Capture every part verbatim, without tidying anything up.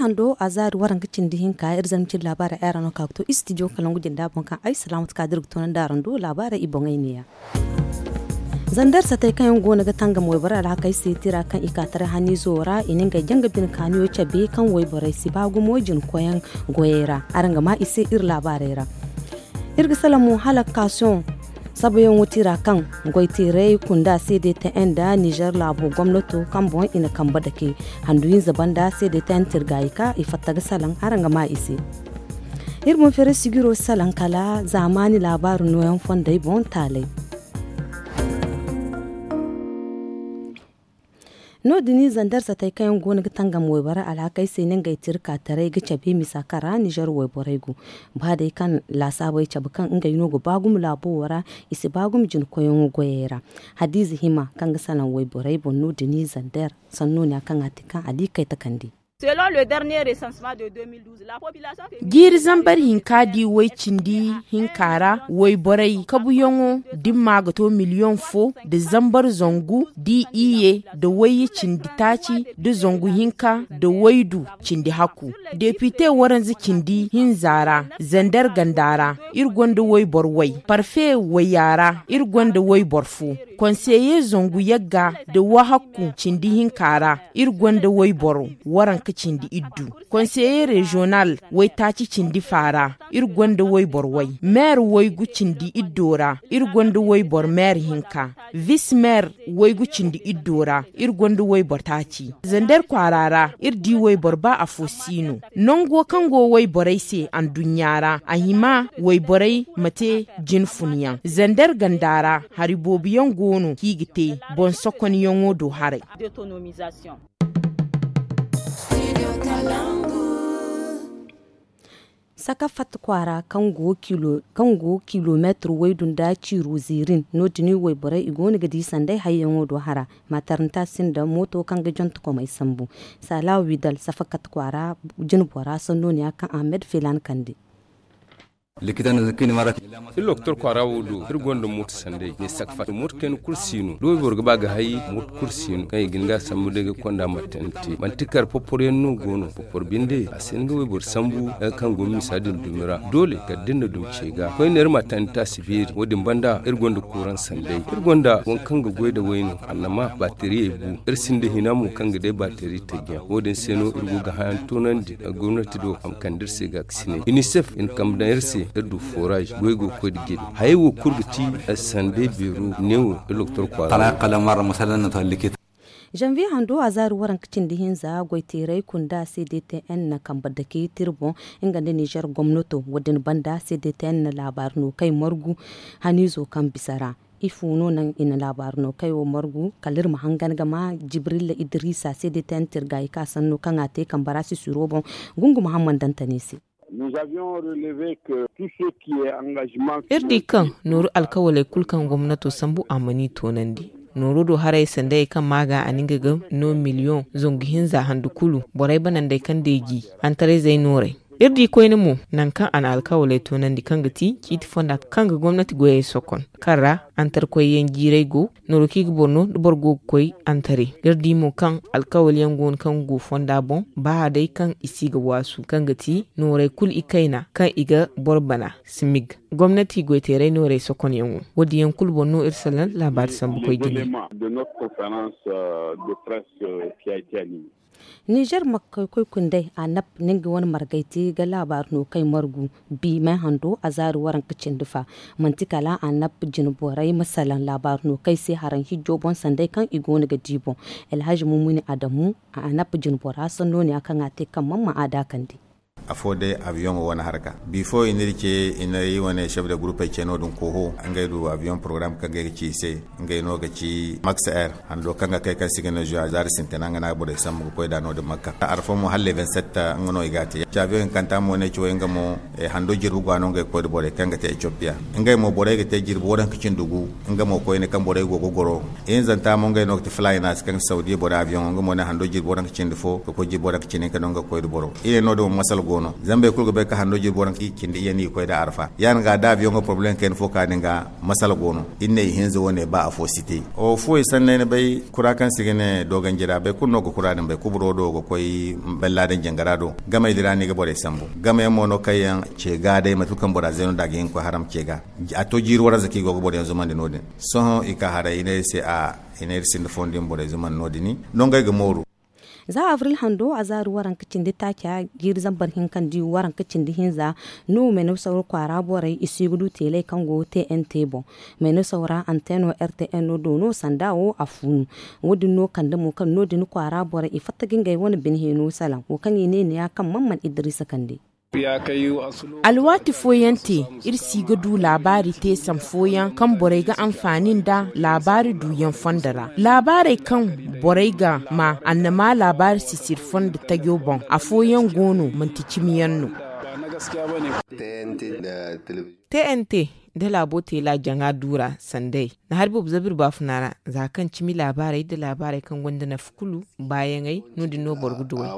Ando a zaari waranka cindi hinka iri zama cindi laabaara ay ra no ka ga to istidiyo kalangu jinda boŋ kaŋ ay salaamatu ka da iri ga toonandi araŋ do laabaara i boŋey neeya. Zandar satey kaŋ yaŋ go no ga tangam wayborey alhakey se tira kaŋ i ka taray haniizo ra i na ngey jaŋ ga bine kaaniyo cabe kaŋ wayborey si ba gumo jina koyyaŋ goyey ra. Araŋ ga ma i se iri laabaarey ra. Iri ga salaŋ mo hala kaasiyoŋ sabayaŋo tira kaŋ goy teeray kunda cdtn nda nizer laabo gomnato kaŋ boŋ i na kambe dake handu hinza banda cdtn tirgaayi ka i fatta ga salaŋ araŋ ga ma i se. Iri boŋ feeray sigiro salaŋ kala zaamaani laabaaru nooyaŋ fondey boŋ taalay. No- din zandar satey kaŋ yaŋ go no ga tangam wayborey alhakey se no ngey tira ka taray ga cabe misa kaŋ ra nizer wayborey go. Ba day kaŋ laasaabey cabe kaŋ ngey no ga ba gumo laabo wo ra i si ba gumo jina koyyaŋo goyey ra. Hadiize hima kaŋ ga salaŋ wayborey boŋ no- din zandar sanno ne ya kaŋ a te kaŋ a di kay takandi. Jiiri zambar hinka di way cindi hinka ra wayborey kabuyaŋo dimma ga to miliyoŋ fo nda zambar zangu di iyye nda wayye cindi taaci nda zangu hinka nda waydu cindi hakku. Depite waranza cindi hinza ra zander ganda ra iri gonda wayboro way parfe wayya ra iri gonda wayboro fo konseye zangu yagga nda wahakku cindi hinka ra iri gonda wayboro waranka cindi iddu konseye reziyonal waytaaci cindi fa ra iri gonda wayboro way meer waygu cindi iddo ra iri gonda wayboro meer hinka vis meer waygu cindi iddo ra iri gonda wayboro taaci zander kwaara ra iri di wayboro ba afo si no nango kaŋ go wayborey se anduɲɲa ra a hima wayborey ma te jine funyaŋ zander ganda ra hari boobo yaŋ go no kaŋ i ga te boŋ sokonyaŋo do haray. Saka fatta kwaara kaŋ go kilomeetir waydu nda ciiru ziirin no- din wayborey i go no ga di sanday hayyaŋo do hara. Mataranta sinda mooto kaŋ ga jonte komey sambu. Sala widal safakat kwaara jinbora sanno ne ya kaŋ ahmed filan kande. Iri loktor kwaara wo do iri gonda mooto sanday ne sakfat mooto kayna kulu si no da wayboro ga ba ga hay mooto kulu si no kaŋ i ga ni ga sambu day ga konda martante manti kar poporyaŋ no go no popor binde a si hin ga wayboro sambu danga kaŋ go misa din dumi ra doole kala da ni na dumi ce ga koyne iri ma tandi taasi beeri wo- din banda iri gonda kuuraŋ sanday iri gonda waŋ kaŋ ga goy nda wayno annama baateriyey bu iri sinda hina mo kaŋ ga day baateri taji yaŋ wo- din se no iri go ga hayaŋ toonandi gomnati do a ma kande iri se gaakasinay inisef i na kambe daŋ iri se iri du foraaz goy go ga koy nda jine hayey wo kulu ga ti sanday beero neewo iri loktor kwaara. Janvier hando a zaari waranka cindi hinza goyteeray kunda cdtn na kambe dake tira boŋ nga nda nizer gomnato wo- din banda cdtn na laabaari no kay margu haniizo kaŋ bisa ra. Ifo no naŋ i na laabaari no kay wo margu kala iri ma hangan ga ma jibrilla idrisa cdtn tirgaayi ka sanno kaŋ a te kambe ra sisiro boŋ. Gungu muhammad dantane se. Iri di kaŋ nooru alkawaley kulu kaŋ gomnato sambu a mana i toonandi. Nooru do haray sandayey kaŋ maaga a na nga ga no miliyoŋ zangu hinza handu kulu borey banandey kaŋ deeji hantarayzey noorey. Iri di koyne mo nangu kaŋ a na alkawaley toonandi kaŋ ga ti ciiti fonda kaŋ ga gomnati goyey sokon kaŋ ra hantarkoyyaŋ jiiray go nooru kaŋ i ga boro no da boro go ga koy hantare. Iri di mo kaŋ alkawalyaŋ go no kaŋ go fonda boŋ ba day kaŋ i si ga waasu kaŋ ga ti nooray kulu ikayna kaŋ i ga boro bana. Simig gomnati goyteeray nooray sokonyaŋo wo- din yaŋ kulu boŋ no iri salaŋ laabaari sambu koy jine. Nizer makkey koy kunday a nap ninga wane margay te ga laabaari no kay margu bi may hando a zaari waranka cindi fa. Manti kala a nap jine borey ma salaŋ laabaari no kay se haraŋ hijjo boŋ sanday kaŋ i go no ga di boŋ. Elhaji mumuni adamu a nap jine bora sanno ne ya kaŋ a te kaŋ man ma a daakandi. Afo day abiyoŋo wane haraka bifo i n'iri ce i n'iri wane chef de groupe ay ce no- din koho ngey du abiyoŋ porogaram kaŋ ga ay ga ci i se. Ngey no ga ci max air hando kaŋ ga kay kaŋ si ga ne zuwa zaari sintina nga no a ga borey sambu ga koy nd'a no- din makka arfo mo hala le vingt-sept nga no i ga a te. Ci abiyoŋ hinkanta mo ne ci way nga mo hando jirbi go a no ngey ga koy nda borey kaŋ ga te ethiopia. Ngey mo borey ga te jirbi waranka cindi gu nga mo koyne kaŋ borey go ga goro. Ihinzanta mo ngey no ga ti fly naasi kaŋ saudiya borey abiyoŋo nga mo ne hando jirbi waranka cindi fo ga koy jirbi waranka cindi hinka no nga ga koy nda boro. I ne no- din mo masala go. Zama boro kulu ga bay ka hando jirbi waranka cindi iyye no i ga koy da arfa ya- din ga da aviyoŋo poroblem kayna fo ka din ga masala go no. Iri ne ihinza wo ne ba afo si te. Wo fo i sanney ni bay kura kaŋ se i ga ne dooganji ra boro kulu no ga kura din bay kuburo do ga koy bella din jangara do. Gamey din ra no i ga borey sambu. Gameyaŋ mo no kaŋ yaŋ ce ga day mate kulu kaŋ bora zeeno nd'a ga hin ga koy haram ce ga. A to jiiri waranza kaŋ i go ga boroyaŋ zumandi no- din. Sohõ i ka haray i ne iri se a i ne iri sinda fondo iri ma borey zumandi no- din. Nongey ga mooru. Za avril hando a zaari waranka cindi taaca jiiri zambar hinka nda waranka cindi hinza no meenosaw kwaara borey i si ga du teeley kaŋ go tnt boŋ. Meenosaw ra anteno rtn no do no sanda wo a fuunu. Wo- din no kande mo kaŋ no- din kwaara borey i fatta ga ngey wane bine hino salaŋ wo kaŋ i ne ni ya kaŋ man man idrisa kande. Alwaati fooyaŋ te iri si ga du laabaari teesam fooyaŋ kaŋ borey ga anfaani nda laabaari duuyaŋ fondo ra. Laabaarey kaŋ borey ga ma annama laabaari sisir fondo tajo boŋ afooyaŋ go no manti cimiyaŋ no. Tnt nda laabo teela jaŋa duura sanday na hari boobo zabir baafuna ra za kaŋ cimi laabaarey nda laabaarey kaŋ gonda nafa kulu baayaŋey no- din no boro ga duwey.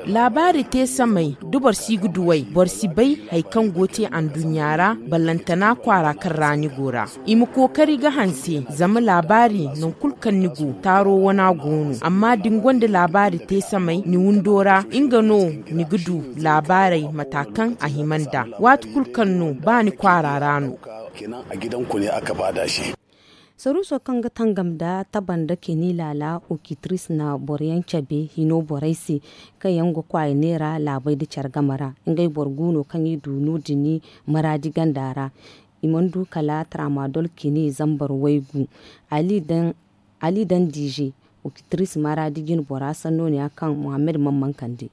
Laabaari te samey da boro si ga duwey boro si bay hari kaŋ go te anduɲɲa ra. Ballantana kwaara kaŋ ra ni go ra i ma kookari ga hanse zama laabaari nangu kulu kaŋ ni go taaro wana go no amma da ni gonda laabaari te samey ni windo ra nga no ni ga du laabaarey mata kaŋ a hima nd'a waati kulu kaŋ no ba ni kwaara ra no. Saruuso kaŋ ga tangam nda tabanda keni laala okitris na boroyaŋ cabe hino borey se kaŋ yaŋ ga kwaaya neera laabey nda care game ra. Ngey boro gu no kaŋ i du no- din maraadi ganda ra. I mana du kala tramadol keni zambar waygu. Ali daŋ diize okitris maraadi jine bora sanno ne ya kaŋ muhammad mana mana kande.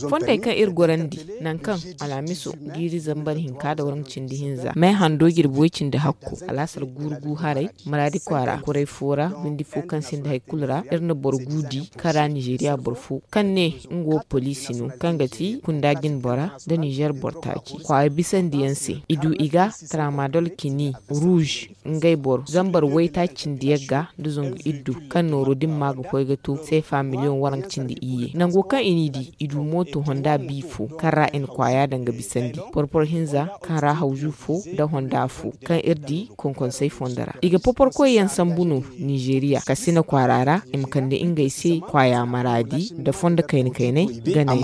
Fondey kaŋ iri gorandi nangu kaŋ alhamiso jiiri zambar hinka nda waranka cindi hinza may hando jirbi way cindi hakku alaasar guuru gu haray maraadi kwaara kuray fo ra windi fo kaŋ sinda hari kulu ra iri na boro gu di kaŋ ra nizeeriya boro fo kaŋ ne nga wo poliisi no kaŋ ga ti kunda jine bora nda nizeer boro taaci kwaaya bisandiyaŋ se i du i ga tramadol kini ruuz ngey boro zambar waytaaci cindi yagga nda zangu iddu kaŋ nooro din ma ga koy ga to seefa miliyoŋ waranka cindi iyye nango kaŋ i n'i di i du mooto honda bi fo kaŋ ra i na kwaaya daŋ ga bisandi porporo hinza kaŋ ra hawzu fo nda honda fo kaŋ iri di konkonsey fondo ra i ga poporkoy yaŋ sambu no nizeeriya kasina kwaara ra i ma kande ngey se kwaaya maraadi nda fondo kayna kaynay ganay.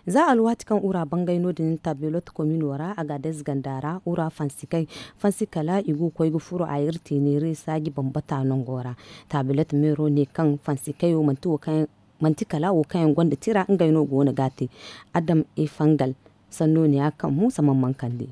Za alwaati kaŋ ura bangay no- din tabelot komino ra agades ganda ra ura fansi kala i go ga koy ga furo a iri teeneere saaji bambata nango ra. Tabelot meero ne kaŋ fansi kayo manti kala wo kaŋ yaŋ gonda tira ngey no go no ga a te. Adam efangal sanno ne ya kaŋ muusa mana mana kande.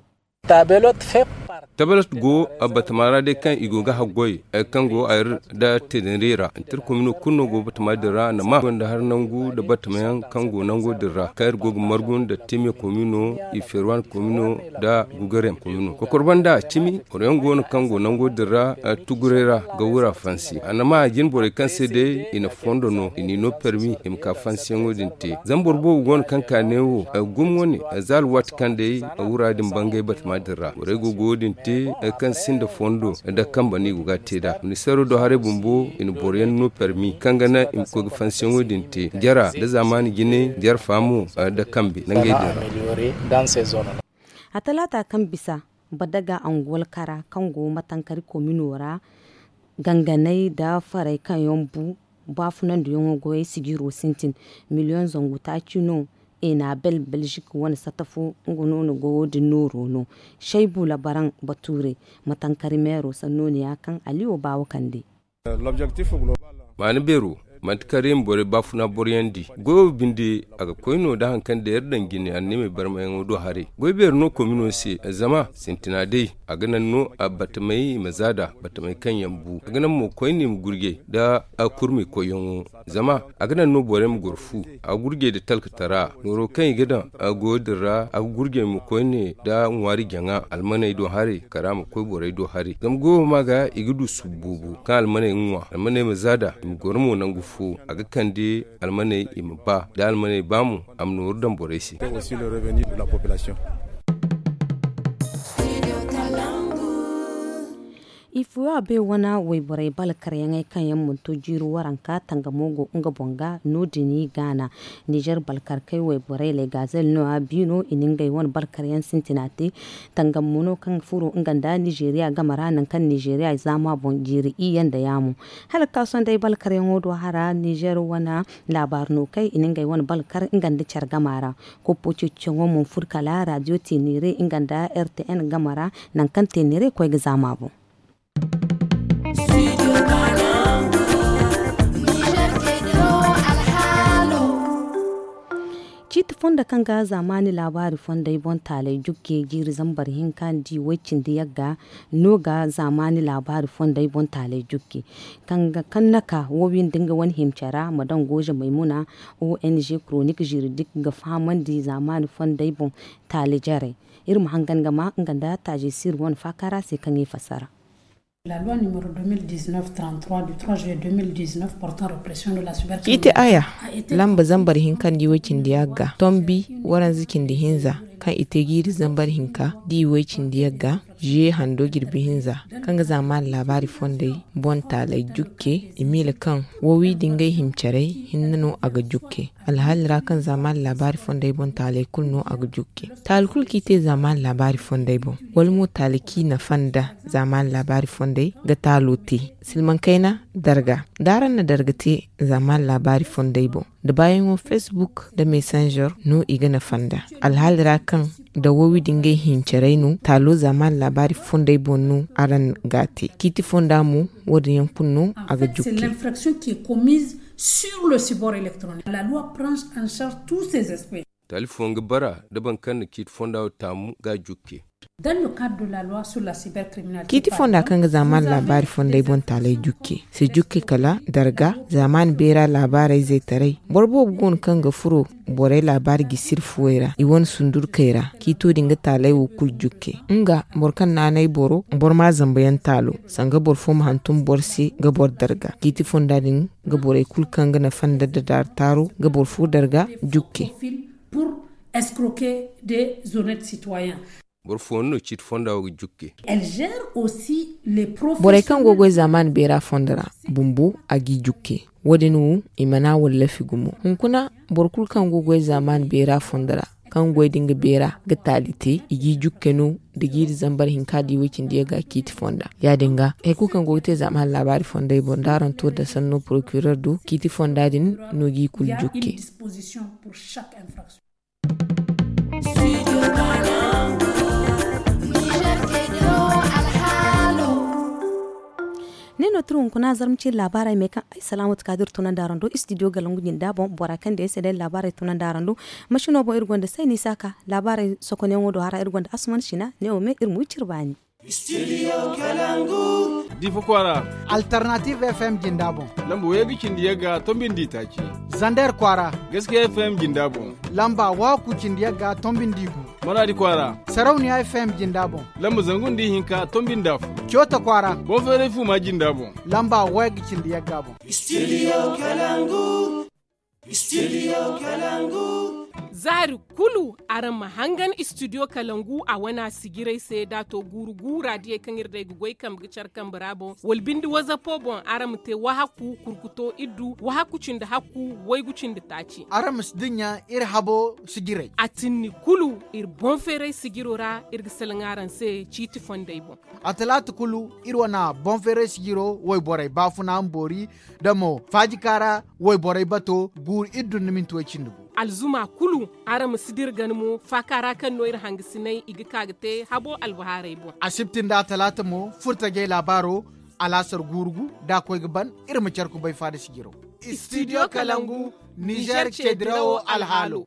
Tabelot go batama ra day kaŋ i go ga haggoy kaŋ go a iri nda teeneere ra nda iri komino kulu no go batama din ra nda ma gonda hari nangu nda batamayaŋ kaŋ go nango din ra kaŋ iri go ga margu nda teme komino i ferwan komino nda gugarem komino kokor banda cimi boro yaŋ go no kaŋ go nango din ra tuguray ra ga wura fansi a na ma jine borey kaŋ se day i na fondo no i n'i no permi i ma ka fansiyaŋo din te zama boro boobo go no kaŋ ka ne wo gumo wane za alwaati kaŋ day wura din bangay batama din ra borey go ga wo- din te kaŋ sinda fondo nda kambe no i go ga a te nd'a ministeero do haray bumbo i na boro yaŋ no permi kaŋ ga naŋ i ma koy ga fansiyaŋo din te jara nda zaamaani jine jara faamo nda kambe nangey din ra. A talaata kaŋ bisa badaga anguwal kara kaŋ go matankari komino ra ganganey nda farey kaŋ yaŋ bu baafunandiyaŋo goyey sijiro sintin miliyoŋ zangu taaci no. Enabel belzik wane sata fo nga no na goyo din nooro no. Shaybu labaraŋ bature matankari meero sanno ne ya kaŋ aliyo baawo kande. Maana beero manti kala iri ma borey baafuna boroyandi goyo binde a ga koy no nda hari kaŋ day iri daŋ jine anniimey barmayaŋo do haray goy beeri no komino se zama sintina day a ga naŋ no batamey i ma za nd'a batamey kaŋ yaŋ bu a ga naŋ mo koyne i ma gurjay nda kurmey koyyaŋo zama a ga naŋ no borey ma goro fu a ga gurjay nda talkatara nooro kaŋ i ga daŋ goyo din ra a ga gurjay mo koyne nda ŋwaari jaŋa almaney do haray kala a ma koy borey do haray zama goyo ma ga i ga du subu boobo kaŋ almaney ga ŋwa almaney ma za nd'a i ma goro mo nangu fo a ga kande almaney i ma ba da almaney ba mo a ma nooru daŋ borey se. Ifuwa bay wane wayborey balkaryaŋey kaŋ yaŋ mana to jiiri waranka tangamo go nga boŋ ga no- din i gaana. Nizer balkarkey wayborey legazel no a biino i na ngey wane balkaryaŋ sintina te. Tangamo no kaŋ furo nga nda nizeriya game ra nangu kaŋ nizeriya zaama boŋ jiiri iyye nda yaamo. Hala ga ka sohõ day balkaryaŋo do hara nizer wane laabaari no kay i na ngey wane balkar nga nda care game ra. Koppo ceeciyaŋo mo furo kala radiyo tenere nga nda r t n game ra nangu kaŋ tenere koy ga zaama boŋ. Ciiti fondo kaŋ ga zaamaani laabaari fondey boŋ taaley jukke jiiri zambar hinka nda i way cindi yagga no ga zaamaani laabaari fondey boŋ taaley jukke kaŋ na ka wo wiine nda nga wane himcera ma daŋ gooze maymuna. O n g koronik ziridik ga fahamandi zaamaani fondey boŋ taali jarey. Iri ma hangan ga ma nga nda taaji siri wane faaka ra se kaŋ i fassara. Ciiti aya lamba zambar hinka nda i way cindi yagga tombi waranza cindi hinza kaŋ i te jiiri zambar hinka nda i way cindi yagga. Ziye hando jirbi hinza kaŋ ga zaamaani laabaari fondey boŋ taaley jukke i miila kaŋ wo wi da ngey himcarey hinne no a ga jukke. Alhaali ra kaŋ zaamaani laabaari fondey boŋ taaley kulu no a ga jukke. Taali kulu kaŋ i te zaamaani laabaari fondey boŋ wala mo taali kaŋ i nafa nda zaamaani laabaari fondey ga taalo te. Silmaŋ kayna darga da araŋ na darga te zaamaani laabaari fondey boŋ da baayaŋo facebook nda messenger no i ga nafa nda alhaali ra kaŋ da wo wi da ngey hincarey no taalo zaamaani laabaari fondey boŋ no araŋ ga a te. Ciiti fonda mo wo- din yaŋ kulu no a ga jukke. Sur le sibor electronique la loi prange en charge tous ces aspects. Taali fooyaŋ ga bara nda boro kaŋ na ciiti fonda wo taamu ga a jukke. Ciiti fonda kaŋ ga zaamaani laabaari fondey boŋ taaley jukke si jukke kala darga zaamaani beera laabaarey zaytaray. Boro boobo go no kaŋ ga furo borey laabaari jisiri fuwey ra i wane sundurkey ra ciito din ga taaley wo kulu jukke. Nga boro kaŋ naanay boro boro ma a zambayaŋ taalo sanga boro fo ma hantum boro se ga boro darga ciiti fonda din ga borey kulu kaŋ ga nafa nda dadaari taaro ga boro fo darga jukke. Boro fooyaŋ no ciiti fonda wo ga jukke. Borey kaŋ go ga goy zaamaani beera fondo ra bumbo a g'i jukke. Wo- din wo i mana wallafi gumo hunkuna boro kulu kaŋ go ga goy zaamaani beera fondo ra kaŋ goy da nga beera ga taali te i g'i jukke no da jiiri zambar hinka da i way cindi yagga ciiti fonda. Ya- din ga hari kulu kaŋ go ga te zaamaani laabaari fondey boŋ da araŋ to da sanno porokiror do ciiti fonda din no g'i kulu jukke. Ne no tira hunkuna zarma ciiri laabaarey me kaŋ ay salaamatu ka da iri tunandi araŋ do istidiyo galangu jinda boŋ bora kaŋ day se day laabaarey tunandi araŋ do. Masino boŋ iri gonda sayni saaka laabaarey sokonyaŋo do hara iri gonda asuman sina ne wo me iri ma wi cire baani. Difa kwaara. Alternative f m jinda boŋ. Lamba wayga cindi yagga tombi nda taaci. Zander kwaara. Gaskiya f m jinda boŋ. Lamba waku cindi yagga tombi nda gu. Maradi kwaara. Sarauniya f m jinda boŋ. Lamba zangu nda hinka tombi nda fu. Cota kwaara. Boŋ feeray fu ma jinda boŋ. Lamba wayga cindi yagga boŋ. Studio kalangu. Studio kalangu. Zaari kulu araŋ ma hangan studio kalangu a wana sijiray se da to guuru guura diyey kaŋ iri day ga goy kambe ga care kambe ra boŋ wala binde wazapo boŋ araŋ ma te wahaku kurkuto iddu wahaku cindi hakku waygu cindi taaci. Araŋ ma si dinya iri habo sijiray a tinni kulu iri boŋ feeray sijiro ra iri ga salaŋ araŋ se ciiti fondey boŋ. A talaata kulu iri wana boŋ feeray sijiro wayborey baafuna ma boori da mo faajikaara wayborey bato guuru iddu nda minti way cindi gu. Alzuma kulu araŋ ma si dira gana mo faaka ra kaŋ no iri hangasiney i ga ka ga te habo albahaarey boŋ. Asibti nda atalaata mo furtajey laabaaro alaasar guuru gu da a koy ga ban iri ma care kubay faada sijiro. Studio kalangu nizer ceedirawo alhaalo.